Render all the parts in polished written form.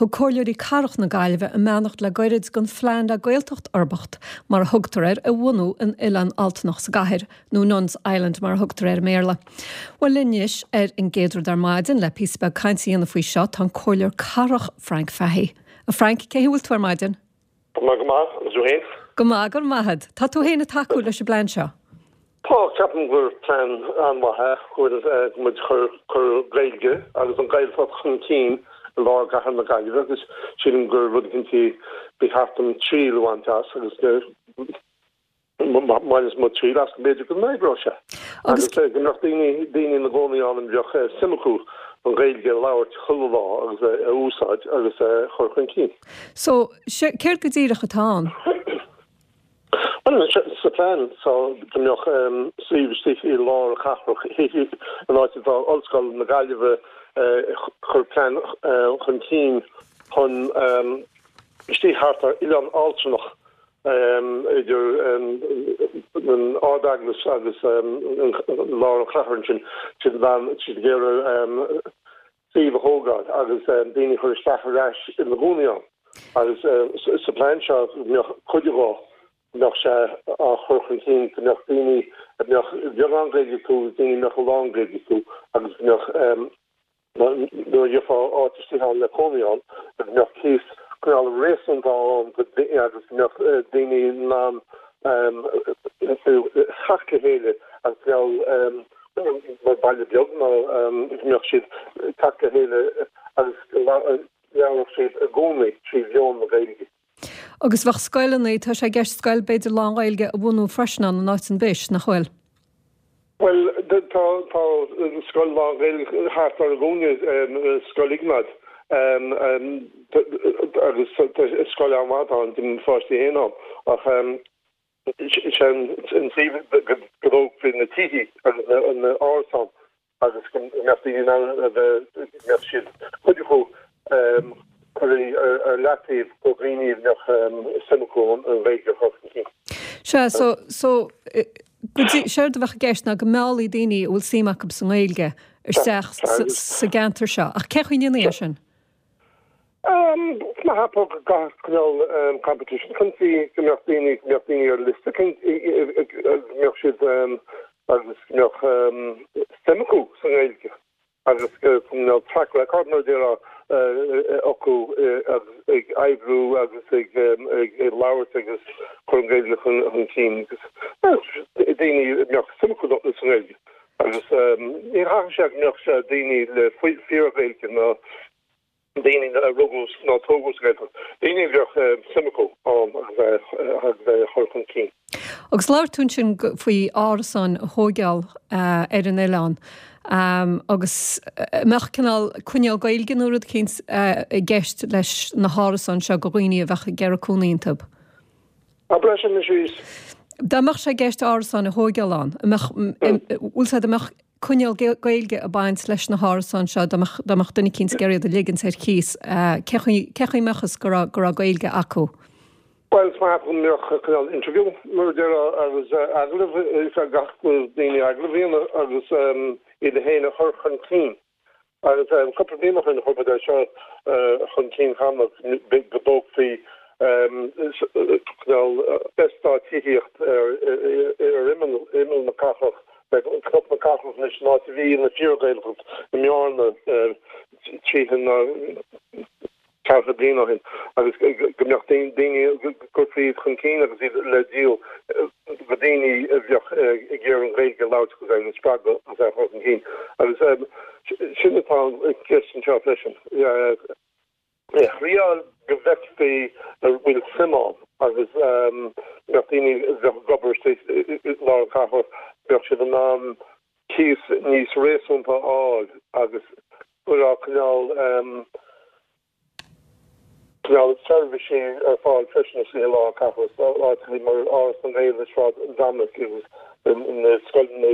Thug Comhairleoirí Cathrach na Gaillimhe a mbeannacht le goirid don phlean le Gaeltacht Uirbeach, mar a thugtar air, a bhunú in Oileán Altanach sa gcathair, nó Nun's Island mar a thugtar air i mBéarla. Bhuel linn anois ar an gcéad rud ar maidin le píosa beag cainte a dhéanamh faoi seo tá an Comhairleoir Cathrach Frank Fahey. A Frank, cén chaoi a bhfuil tú ar maidin? Tá mé go maith, agus tú fhéin? Go maith, go raibh maith agat. Tá tú fhéin ag tacú leis an bplean seo? Tá, ceapaim gur plean an-mhaith é, go bhfuil muid chur cur Gaeilge agus an Ghaeltacht chun cinn i lár gcathair na Gaillimhe agus sílim gur rud eicínt ba cheart dom triail a bhaint as agus Baineas mo triail as go mb'fhéidir go n-oibreodh sé. Agus go mbeadh daoine, daoine ina gcónaí ann a mbeadh suim acu an Ghaeilge a labhairt chuile lá agus a úsáid agus a chur chun cinn. So, céard go díreach atá ann? Bhuel, sa phlean tá go mbeadh suíomh istigh i lár an chathrach, an áit atá Ollscoil na Gaillimhe, chur plean chun cinn chun istigh thart ar Oileán Altranach idir an Ard-Eaglais agus lár an chathair ansin, siad ag iarraidh suíomh a thógáil agus daoine a chur isteach ar ais ina gcónaí ann. Agus sa phlean seo go mbeadh cuid de go mbeadh sé á chur chun cinn go mbeadh daoine a mbeadh beagán Gaeilge acu agus daoine a mbeadh a lán Gaeilge acu agus go mbeadh Nuair a gheofá áit istigh ann le cónaí ann, go mbeadh cíos cineál réasúnta ann agus go mbeadh daoine in ann teacht le chéile agus cineál mar baile beag nó go mbeadh siad ag teacht le chéile agus go labhródh siad i gcónaí trí mheon na Gaeilge. Agus bheadh scoileanna, tá sé i gceist scoil b'fhéidir lán-Ghaeilge a bhunú freisin ann in áit an bhis, nach bhfuil? Bhuel, tá tá scoil lán-Ghaeilge thart ar an gcúinne, Scoil Iognáid, agus scoil an-mhaith atá ann, d'imir mo pháistí féin ann, ach sé an suíomh go dtógfaí na tithe agus na árasáin agus go mbeadh daoine in ann a bheith, go mbeadh siad, cuid acu curtha ar leataobh do dhaoine a mbeadh suim acu an Ghaeilge a chur chun cinn. Sea, so, so, go dtí, séard a bheadh i gceist ná go meallfaí daoine a bhfuil suim acu sa nGaeilge isteach sa gceantar seo. Ach cén chaoi a ndéanfaí é sin? Tá mé ag ceapadh go gcaithfeadh cineál competition chun cinn, go mbeadh daoine, go mbeadh daoine ar liosta, go mbeadh siad agus go mbeadh suim acu sa nGaeilge agus go mbeadh track record mar a déarfá acu agus ag oibriú agus ag labhairt agus cur an Ghaeilge chun cinn agus daoine a mbeadh suim acu sa nGaeilge agus ní chaithfidh sé go mbeadh sé daoine le fíor-Ghaeilge nó daoine a rugadh nó a tógadh sa Ghaeltacht, daoine a bheadh suim acu ann agus é a chur chun cinn. Agus labhair tú ansin faoi árasáin a thóigeáil ar an oileán agus an mbeadh cineál coinníoll Gaeilge nó rud eicínt i gceist leis na hárasáin seo do dhaoine a bheadh ag iarraidh cónaí iontu? Abair é sin arís. Dá mbeadh sé i gceist árasáin a thóigeáil ann, an mbeadh, bhfuil a fhios agat, an mbeadh coinníoll Gaeilge ag baint leis na hárasáin seo, dá mbeadh, dá mbeadh duine eicínt ag iarraidh iad a ligint ar cíos, cé chaoi, cé chaoi a mbeadh fhios go raibh, go raibh Gaeilge acu? Bhuel, is maith go mbeadh cineál interview, mar a déarfá, agus agallamh, gach daoine agallamh a dhéanamh agus iad féin a chur chun cinn. Agus cúpla bliain ó shin chuir muid é seo chun cinn cheana, go dtógfaí cineál eastát tithíocht ar imeall na cathrach, Cnoc na Cathrach anois, an áit a bhí ina fíor-Ghaeltacht i mBearna 30 nó 40 bliain ó shin agus go mbeadh daoine, go gcuirfí iad chun cinn agus iad le díol do daoine a bheadh ag iarraidh an Ghaeilge a labhairt agus é a spreagadh agus é a chur chun cinn. Agus sin atá i gceist anseo freisin. A thriáil go bhfeicfí an bhfuil suim ann agus go mbeadh daoine a bheadh ag obair istigh i lár an chathrach, bheadh siad in ann cíos níos réasúnta a fháil agus go raibh cineál cineál seirbhísí ar fáil freisin istigh i lár an cathrach, áiteachaí mar Áras na nGael i Sráid Dominic agus na scoileanna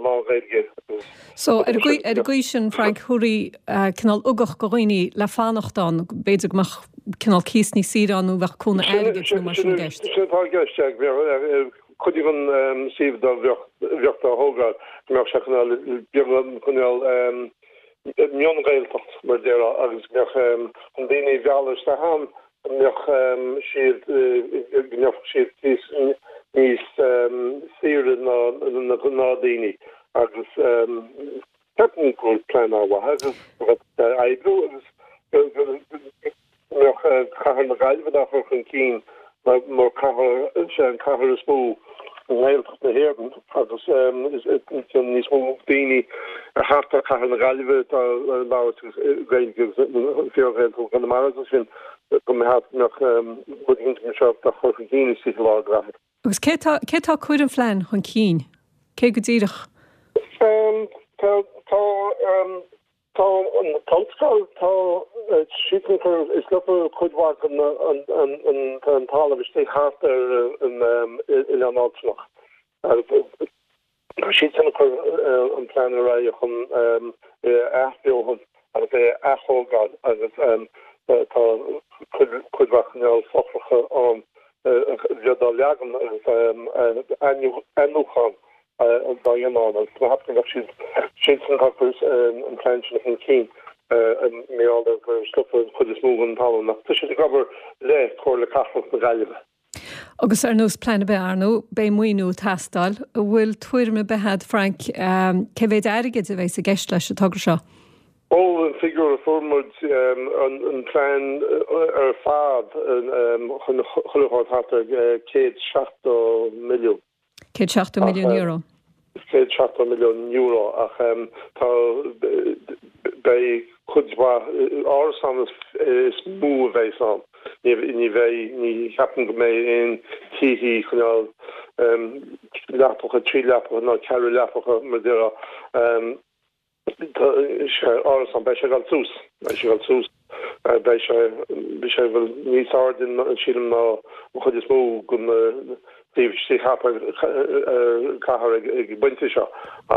lán-Ghaeilge agus. So, ar an gcaoi, ar an gcaoi sin, Frank, thabharfaí cineál ugach do dhaoine le fanacht ann, b'fhéidir go mbeadh cineál cíos níos saoire ann nó bheadh cúnamh airgid nó mar sin i gceist. Sin atá i gceist, yeah. Cuid den suíomh dá bheadh dá thógáil, go mbeadh sé cineál beagán cineál. Mion-Ghaeltacht, mar a déarfá, agus go mbeadh chun daoine a mhealladh isteach ann, go mbeadh siad, go mbeadh siad níos, níos saoire ná na gnáthdaoine agus ceapaim go bhfuil plean an-mhaith agus go bhféadfadh sé oibriú agus go mbeadh cathair na Gaillimhe dá chur chun cinn mar cathair, sé an cathair is mó i nGaeltacht na hÉireann agus níos mó daoine thart ar chathair na Gaillimhe atá ag labhairt Gaeilge agus fíor-Ghaeltacht Chonamara agus sin go mbeadh rud éigin mar seo dá chur chun cinn istigh i lár an gcathair. Agus cé atá, cé atá ag cur an phlean chun cinn? Cé go díreach? Tá, tá, Tá an t-ollscoil, tá siadsan ag cur, is leofa cuid mhaith den an talamh istigh thart ar an Oileán Altanach agus tá siadsan ag cur an plean ar aghaidh chun é a athbheochan agus é a aththógáil agus tá cuid mhaith cineál fothracha ann a bheith dá leagan agus athnuachan dá dhéanamh ann agus tá mé ag ceapadh go mbeadh siad siadsan atá ag cur an plean sin chun cinn mar gheall ar gur leofa an chuid is mó den talamh ach tá siad ag obair le Comhairle Cathrach na Gaillimhe. Agus ar nós plean ar bith, ar ndóigh, beidh maoiniú ag teastáil. An bhfuil tuairim ar bith agat, Frank, cé mhéid airgid a bheas i gceist leis an togra seo? Ó, an figiúr a fuair muid, an plean ar fad chun chuile shórt thart ar €170 milliún. €170 milliún. €170 milliún ach tá, beidh cuid mhaith árasán is mó a bheas ann. Ní bheidh, ní cheapaim go mbeidh aon tithe cineál leapacha, trí leapacha ná ceithre leapacha mar a déarfá. Tá sé árasán, beidh sé ag dul suas, beidh sé ag dul suas, beidh sé, beidh sé bhuel níos airde sílim ná an chuid is mó den taobh istigh thart ar an chathair ag an bpointe seo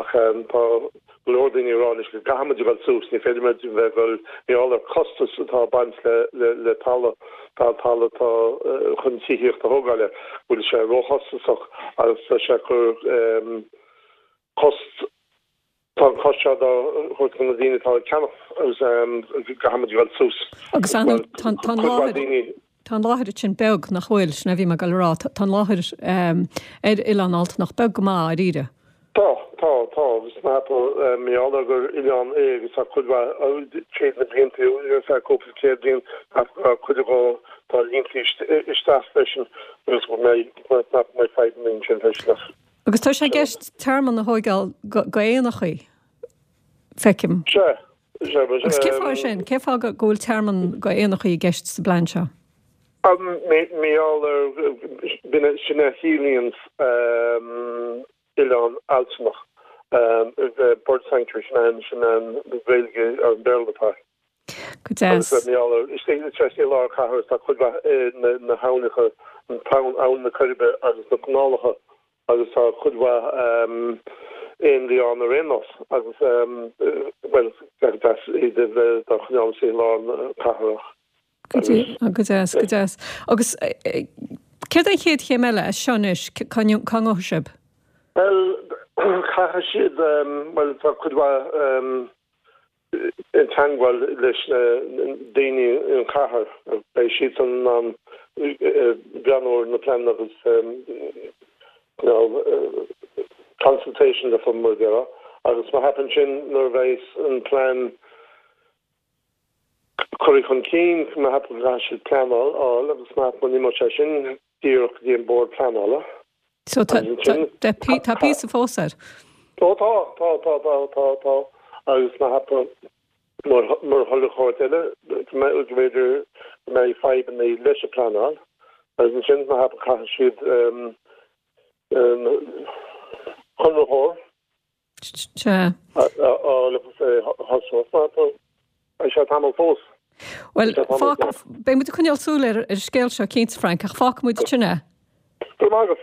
ach tá go leor daoine ag rá anois go gcaithfidh muid a dhul suas, ní féidir muid a bheith ag dul mar gheall ar costas atá ag baint le le le talamh, tá talamh atá chun tithíocht a thógáil air, go bhfuil sé róchostasach agus tá sé ag cur cost Tá an costas seo dá thabhairt do na daoine atá ag ceannach agus go gcaithfidh muid a dhul suas. Agus ar ndóigh, tá an láthair, tá an láthair sin beag, nach bhfuil? Sin a bhí mé ag dul a rá. Tá an láthair ar Oileán Altanach beag go maith, dáiríre. Tá, tá, tá. Agus mar gheall ar gur oileán é agus tá cuid mhaith, tríd na blianta, ar feadh cúpla céad bliain, tá cuid de tá líonta isteach freisin agus go mbeidh, nach mbeidh fadhbanna ansin freisin ach. Agus tá sé i gceist tearmann a thóigeáil d'éanachaí, feicim. Sea, sea. Agus cén fáth é sin? Cén fáth go bhfuil tearmann d'éanachaí i gceist sa bplean seo? Mar gheall ar, b'in, sin a chiallaíonn oileán Altanach, bird sanctuary, sin an, sin an Ghaeilge ar an Béarla atá air. Go deas. Agus mar gheall ar, istigh i lár cathrach tá cuid mhaith na haibhneacha, an t-abhainn, Abhainn na Coiribe agus na canálacha agus tá cuid mhaith éanlaith ann ar aon nós agus bhuel, go deas iad a bheith dá choinneáil istigh i lár na cathrach. Go deas, go deas. Agus céard é an chéad chéim eile as seo anois? Cá ngabhfaidh sibh? Bhuel, caithfidh siad, bhuel tá cuid mhaith i dteangmháil leis na daoine in chathair, beidh siadsan in ann breathnú ar na pleananna agus you know consultation le mar a déarfá agus má theipeann sin nuair a bheidh an plean curtha chun cinn, má theipeann go gcaithfidh siad pleanáil a fháil agus má theipeann imeoidh sé sin díreach go dtí an bord pleanála. So tá tá píosa fós air. Ó tá, tá, tá, tá, tá, tá agus má theipeann mar mar chuile shórt eile go mb'fhéidir go mbeidh fadhbanna leis an pleanáil agus ansin má theipeann caithfidh siad conraitheoir Sea. a fháil agus é a thosú. Beidh sé tamall fós. Bhuel, beidh muid ag coinneáil súil ar an scéal seo cinnte, Frank, ach fágfaidh muid sin é. Go raibh maith agat.